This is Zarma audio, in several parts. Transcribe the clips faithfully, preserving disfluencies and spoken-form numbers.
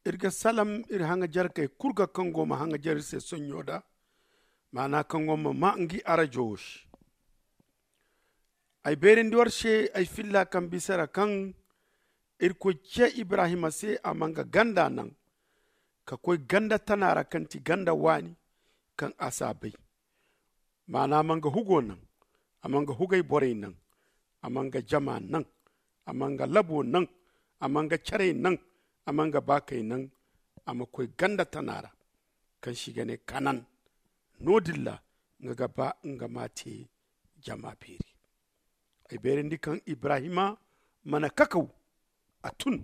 Iri ga salam iri haŋajarkey kulu ga kaŋ go ma haŋajar iri se sonɲo da, maana kaŋ go ma maa ngi arajo wo se. Ay beerandi war se ay filla kaŋ bisa ra kaŋ irkoy ce ibrahima se a ma nga ganda naŋ ka koy ganda tana ra kaŋ ti ganda waani kaŋ a si a bay. Maana a ma nga hugo naŋ, a ma nga hugay borey naŋ, a ma nga jama naŋ, a ma nga labo naŋ, a ma nga carey naŋ, a ma nga baakey naŋ. A ma koy ganda tana ra kaŋ se i ga ne kanan. No- din ra nga ga ba nga ma a te jama beeri. Ay beerandi kaŋ ibrahima mana kakaw, a tun,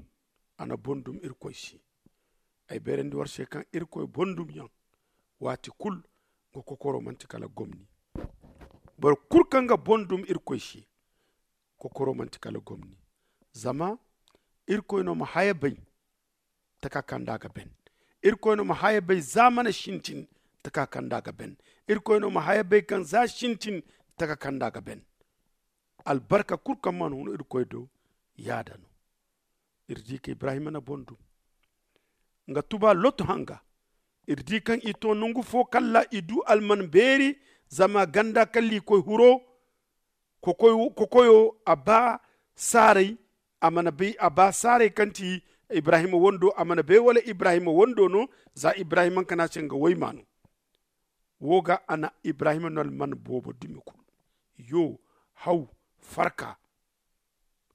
a na bondum irkoy se. Ay beerandi war se kaŋ irkoy bondumyaŋ waati kulu nga kokoro manti kala gomni. Boro kulu kaŋ ga bondum irkoy se, kokoro manti kala gomni. Zama irkoy no ma haya bay taka kaŋ da a ga ben. Irkoy no ma haya bay za mana sintin taka kaŋ da a ga ben. Irkoy no ma haya bay kaŋ za sintin taka kaŋ da a ga ben. Albarka kulu kaŋ mana hun irkoy do, yaada no. Iri di ka ibrahima na boŋ dum nga tuba lotu hanga. Iri di kaŋ i to nangu fo kala i du alman beeri, zama ganda kala i koy huro. Kokoyo a ba saaray, a mana bay a ba saaray kaŋ ti ibrahima wando a mana bay wala ibrahima wando no. Za ibrahima nga ne a se nga wayma no. Wo ga a na ibrahima no alman boobo dumi kulu. Yo, haw, farka.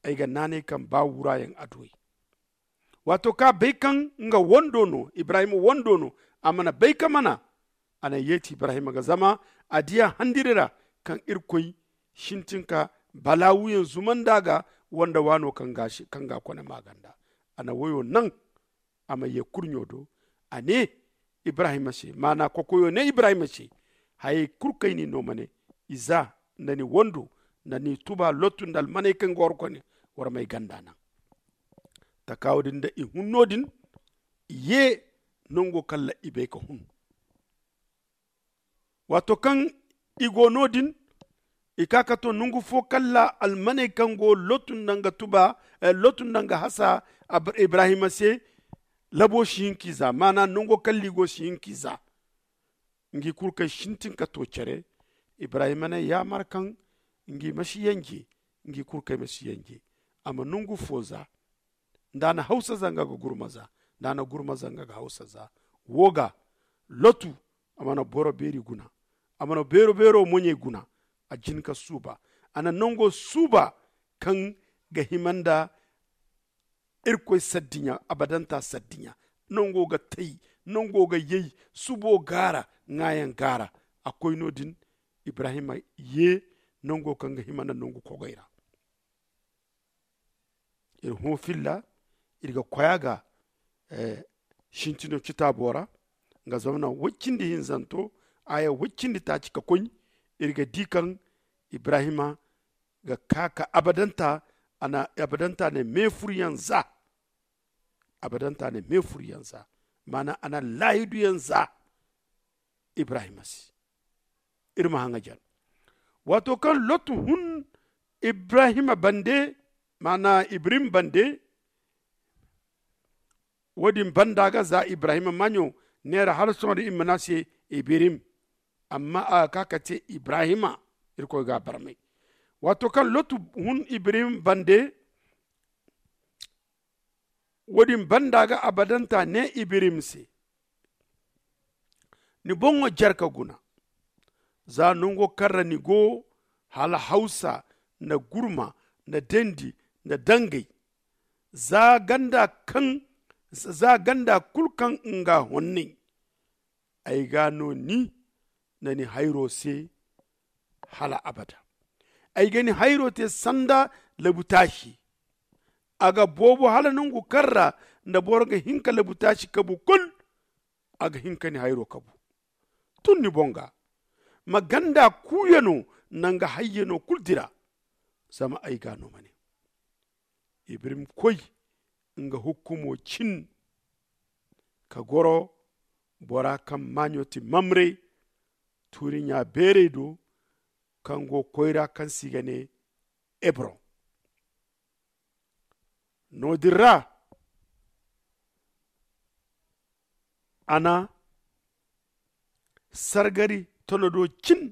Ay ga naanay kaŋ ba wuraayaŋ adduwey. Waato kaŋ a bay kaŋ nga wando no, ibrahima wando no, a mana bay ka mana. A na yeeti ibrahima ga zama a diya handiri ra kaŋ irkoy sintin ka balaawuyaŋ zumandi a ga wanda waano kaŋ ga a kone maaganda. A na woyo naŋ a ma ye kurɲo do. A ne ibrahima se, maana kokoyo ne ibrahima se, hayey kulu kaŋ ay n'i no ma ne, iza, nda ni wando, nda ni tuba lottu nda almaney kaŋ ga war kone, war m'ay ganda naŋ. Takaawo din nda i hun no- din, i ye nango kala i bay ka hun. Waato kaŋ i go no- din, i ka ka to nangu fo kala almaney kaŋ go lottu nda nga tuba, lottu nda nga hasa ibrahima se, labo si hin k'i za maana nango kala i go si hin k'i za. Ngi kulu kaŋ sintin ka to care, ibrahima ne yaamar kaŋ ngi ma si yanje, ngi kulu kaŋ ay ma si yanje. A ma nangu fo za, nda a na hawsa za nga ga gurma za, nda a na gurma za nga ga hawsa za. Wo ga, lotu, a mana boro beeri guna, a mana beero beero moɲey guna. A jin ka suuba, a na nango suuba kaŋ ga hima nda irkoy saddiɲa, abadanta saddiɲa. Nango ga tay, nango ga yay, subo gaara, ŋaayaŋ gaara. A koy no- din, ibrahima ye nango kaŋ ga hima nda nangu kogoy ra. Iri hõ filla, iri ga koy a ga sintino citaabo ra, nga zamana woy cindi hinzanto, aya woy cindi taaci ka koy. Iri ga di kaŋ ibrahima ga ka ka abadanta, a na abadanta ne meefuryaŋ za. Abadanta ne meefuryaŋ za, maana a na laahiduyaŋ za. Ibrahima se, iri ma haŋajar. Waato kaŋ lottu hun ibrahima bande, maana ibrahim bande, wo- din banda ga za ibrahima maaɲo neera hala sohõ da i mana se ibrahim. Amma a ga ka ka te ibrahima. Irkoy ga a barmay. Waato kaŋ lottu hun ibrahim bande, wo- din banda ga abadanta ne ibrahim se, ni boŋo jare ka guna, za nango kaŋ ra ni go, hala hawsa, nda gurma, nda dendi, nda dangay, za ganda kaŋ za ganda kulu kaŋ nga honnay. Ay ga no ni nda ni hayro se hala abada. Ay ga ni hayro te sanda labutaasi. A ga boobo hala nangu kaŋ ra nda boro ga hin ka labutaasi kabu kulu. A ga hin ka ni hayro kabu. Tun ni boŋ ga ma ganda kuuyano nda nga hayyano kulu dira. Zama ay ga no ma ne, ibrahim koy nga hukkumo cin ka goro bora kaŋ maaɲo ti mamre tuuri ɲa beerey do, kaŋ go koyra kaŋ se i ga ne hebron. No- din ra a na sargari tonodo cin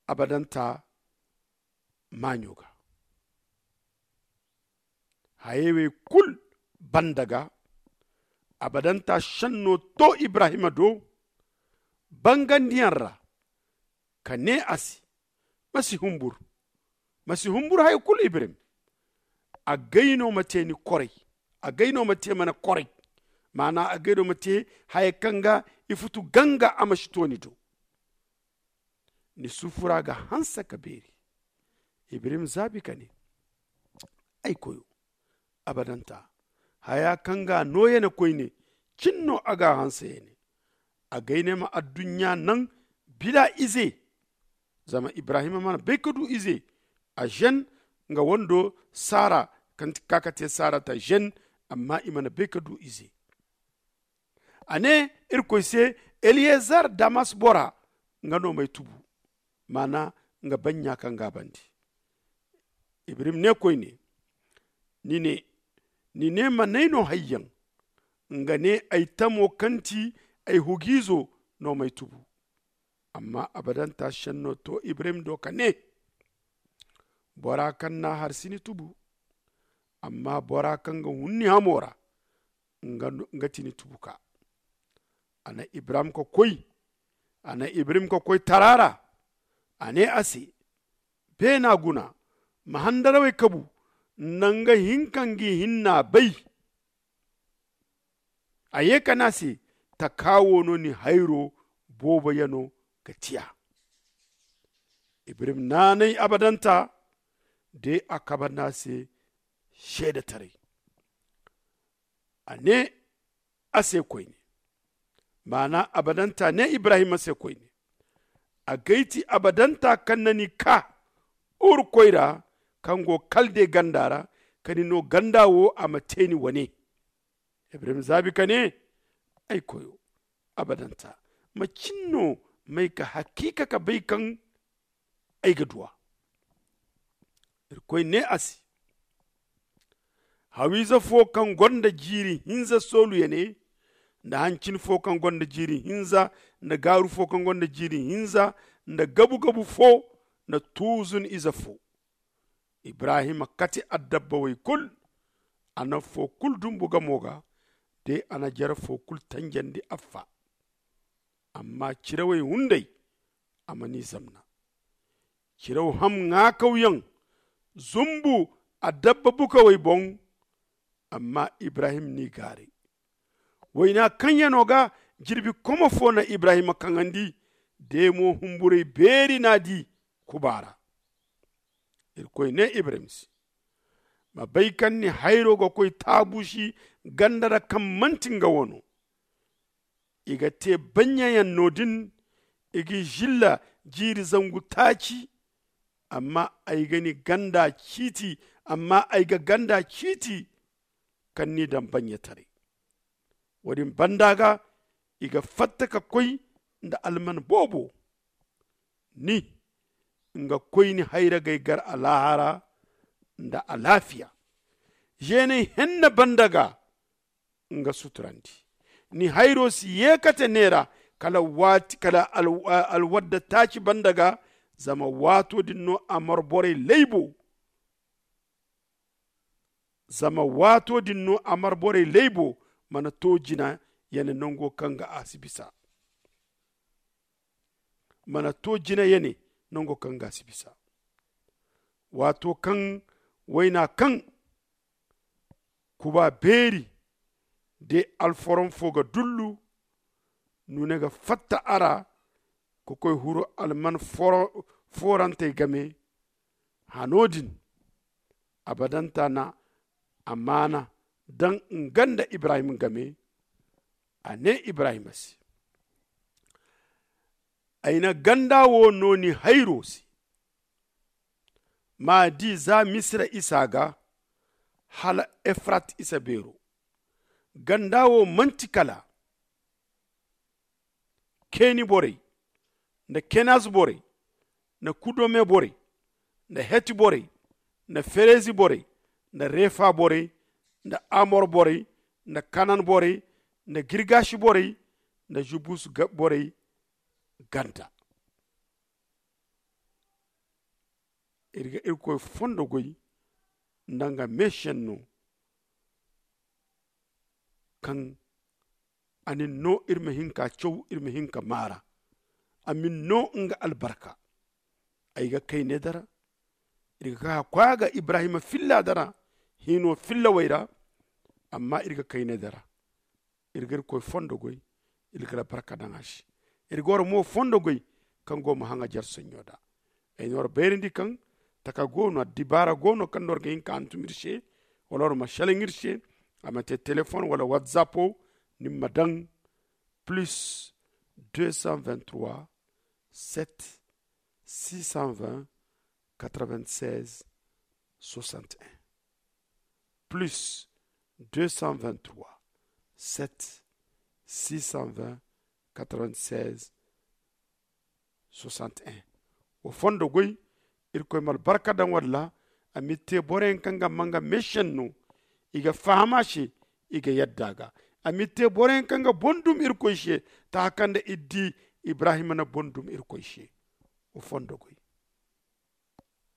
abadanta maaɲo ga. Hayey wey kul banda ga, abadanta šenno to ibrahima do bangandiyaŋ ra, ka ne a se, ma si humbur, ma si humbur haya kulu ibrahim. Agay no ma te ni koray. Agay no ma te mana koray. Maana agay no ma te haya kaŋ ga ifutu ganga a ma si to ni do. Ni sufura ga hanse ka beeri. Ibrahim zaabi ka ne, ay koyo, abadanta, haya kaŋ ga nooyane koyne cin no a ga hanse ya ne. Agay ne ma adduɲɲa naŋ bila ize. Zama ibrahima mana bay ka du ize. A zen nga wando sara kaŋ ti ka ka te sara ta zen. Amma i mana bay ka du ize. A ne irkoy se, eliyezar damas bora, nga no m'ay tubu. Maana nga banɲa kaŋ ga a bandi. Ibrahim ne koyne, ni ne, ni ne ma n'ay no hayyaŋ? Nga ne, ay tamo kaŋ ti ay hugiizo no m'ay tubu. Amma abadanta senno to ibrahim do ka ne, bora kaŋ n'a har si ni tubu. Amma bora kaŋ ga hun ni hamo ra, nga ti ni tubuka. A na ibrahim ka koy a na ibrahim ka koy tara ra. A ne a se, beena guna, ma handarawey kabu nda nga hinka ngi hinna bay. A ye ka ne a se, taka wo no ni hayro boobo yano ga tiya. Ibrahim naanay abadanta de a kabanda se seedetaray. A ne a se koyne, maana abadanta ne ibrahima se koyne, a gay ti abadanta kaŋ na ni ka urkoy ra, kaŋ go kalde ganda ra, ka ni no ganda wo a ma te ni wane. Ibrahim zaabi ka ne, ay koyo, abadanta, macin no m'ay ka hakiika ka bay kaŋ ay ga duw'a? Irkoy ne a se, hawiize fo kaŋ gonda jiiri hinza sooluyane, nda hancin fo kaŋ gonda jiiri hinza, nda gaaru fo kaŋ gonda jiiri hinza, nda gabu-gabu fo, nda tuuzun ize fo. Ibrahima kate adabba wey kul. A na fo kul dumbu gamo ga, de a na jare fo kul tanjandi affa. Amma cirawey hunday a man'i zamna. Ciraw ham ŋaakawyaŋ zumbu adabba bukawey boŋ. Amma ibrahim n'i gaaray. Wayna kaŋyano ga jirbi komo fo na ibrahima kaŋandi. De mo humburay beeri n'a di kuba ra. Irkoy ne ibrahim se, ma bay kaŋ ni hayro ga koy taabusi ganda ra kaŋ manti nga wano. I ga te banɲayaŋ no-din. I g'i zilla jiiri zangu taaci. Amma ay ga ni ganda ciiti. Amma ay ga ganda ciiti kaŋ n'i daŋ banɲataray. Wo-din banda ga i ga fatta ka koy nda alman boobo. Ni nga koyni hayragey gar alaahara nda alaafiya. Zeeney henne banda ga nga suturandi. Ni hayro si yeekate neera kala waati kala alwadda taaci banda ga. Zama waato din no a mar borey laybo. Zama waato din no a mar borey laybo mana to jina yane nango kaŋ ga a si bisa. Mana to jina yane nango kaŋ ga a si bisa. Waato kaŋ wayna kaŋ kuba beeri de alforon fo ga dullu. Nune ga fatta a ra ka koy huru alman forantey game. Hano din abadanta na amaana daŋ nga nda ibrahim game. A ne ibrahima se, ay na ganda wo no ni hayro se. Ma di za misira isa ga hala efrat isa beero. Ganda wo manti kala keni borey nda kenaz borey nda kudome borey nda heti borey nda ferezi borey nda refa borey nda amor borey nda kanan borey nda girgaasi borey nda jebus borey ganda. Iri ga irkoy fondo goy nda nga meesenno kaŋ a na ni no iri ma hin ka caw, iri ma hin ka maara. A ma ni no nga albarka. Ay ga kayne dara. Iri ga ka koy a ga ibrahima filla dara hino fillawey ra. Amma iri ga kayne dara. Iri ga irkoy fondo goy. Iri ga albarka daŋ a se. Iri ga wara mo fondo goy kaŋ go ma haŋa jarsaɲo da. Ay na wara bayrandi kaŋ taka go no dibaara go no kaŋ no wara ga hin ka hantum iri se. Wala wara ma selaŋ iri se. A ma te telefon wala whatsapp wo ni ma daŋ plus deux cent vingt trois sept six cent vingt quatre vingt seize soixante et un plus deux cent vingt trois sept six cent vingt quatre vingt seize soixante et un. Wo fondo goy. Irkoy ma albarka daŋ walla a ma iri te boroyaŋ kaŋ ga manga meesenno i ga faham a se. I ga yadda a ga a ma iri te boroyaŋ kaŋ ga boŋ dum irkoy se. Taka kaŋ nda iri di ibrahima na boŋ dum irkoy se. Wo fondo goy.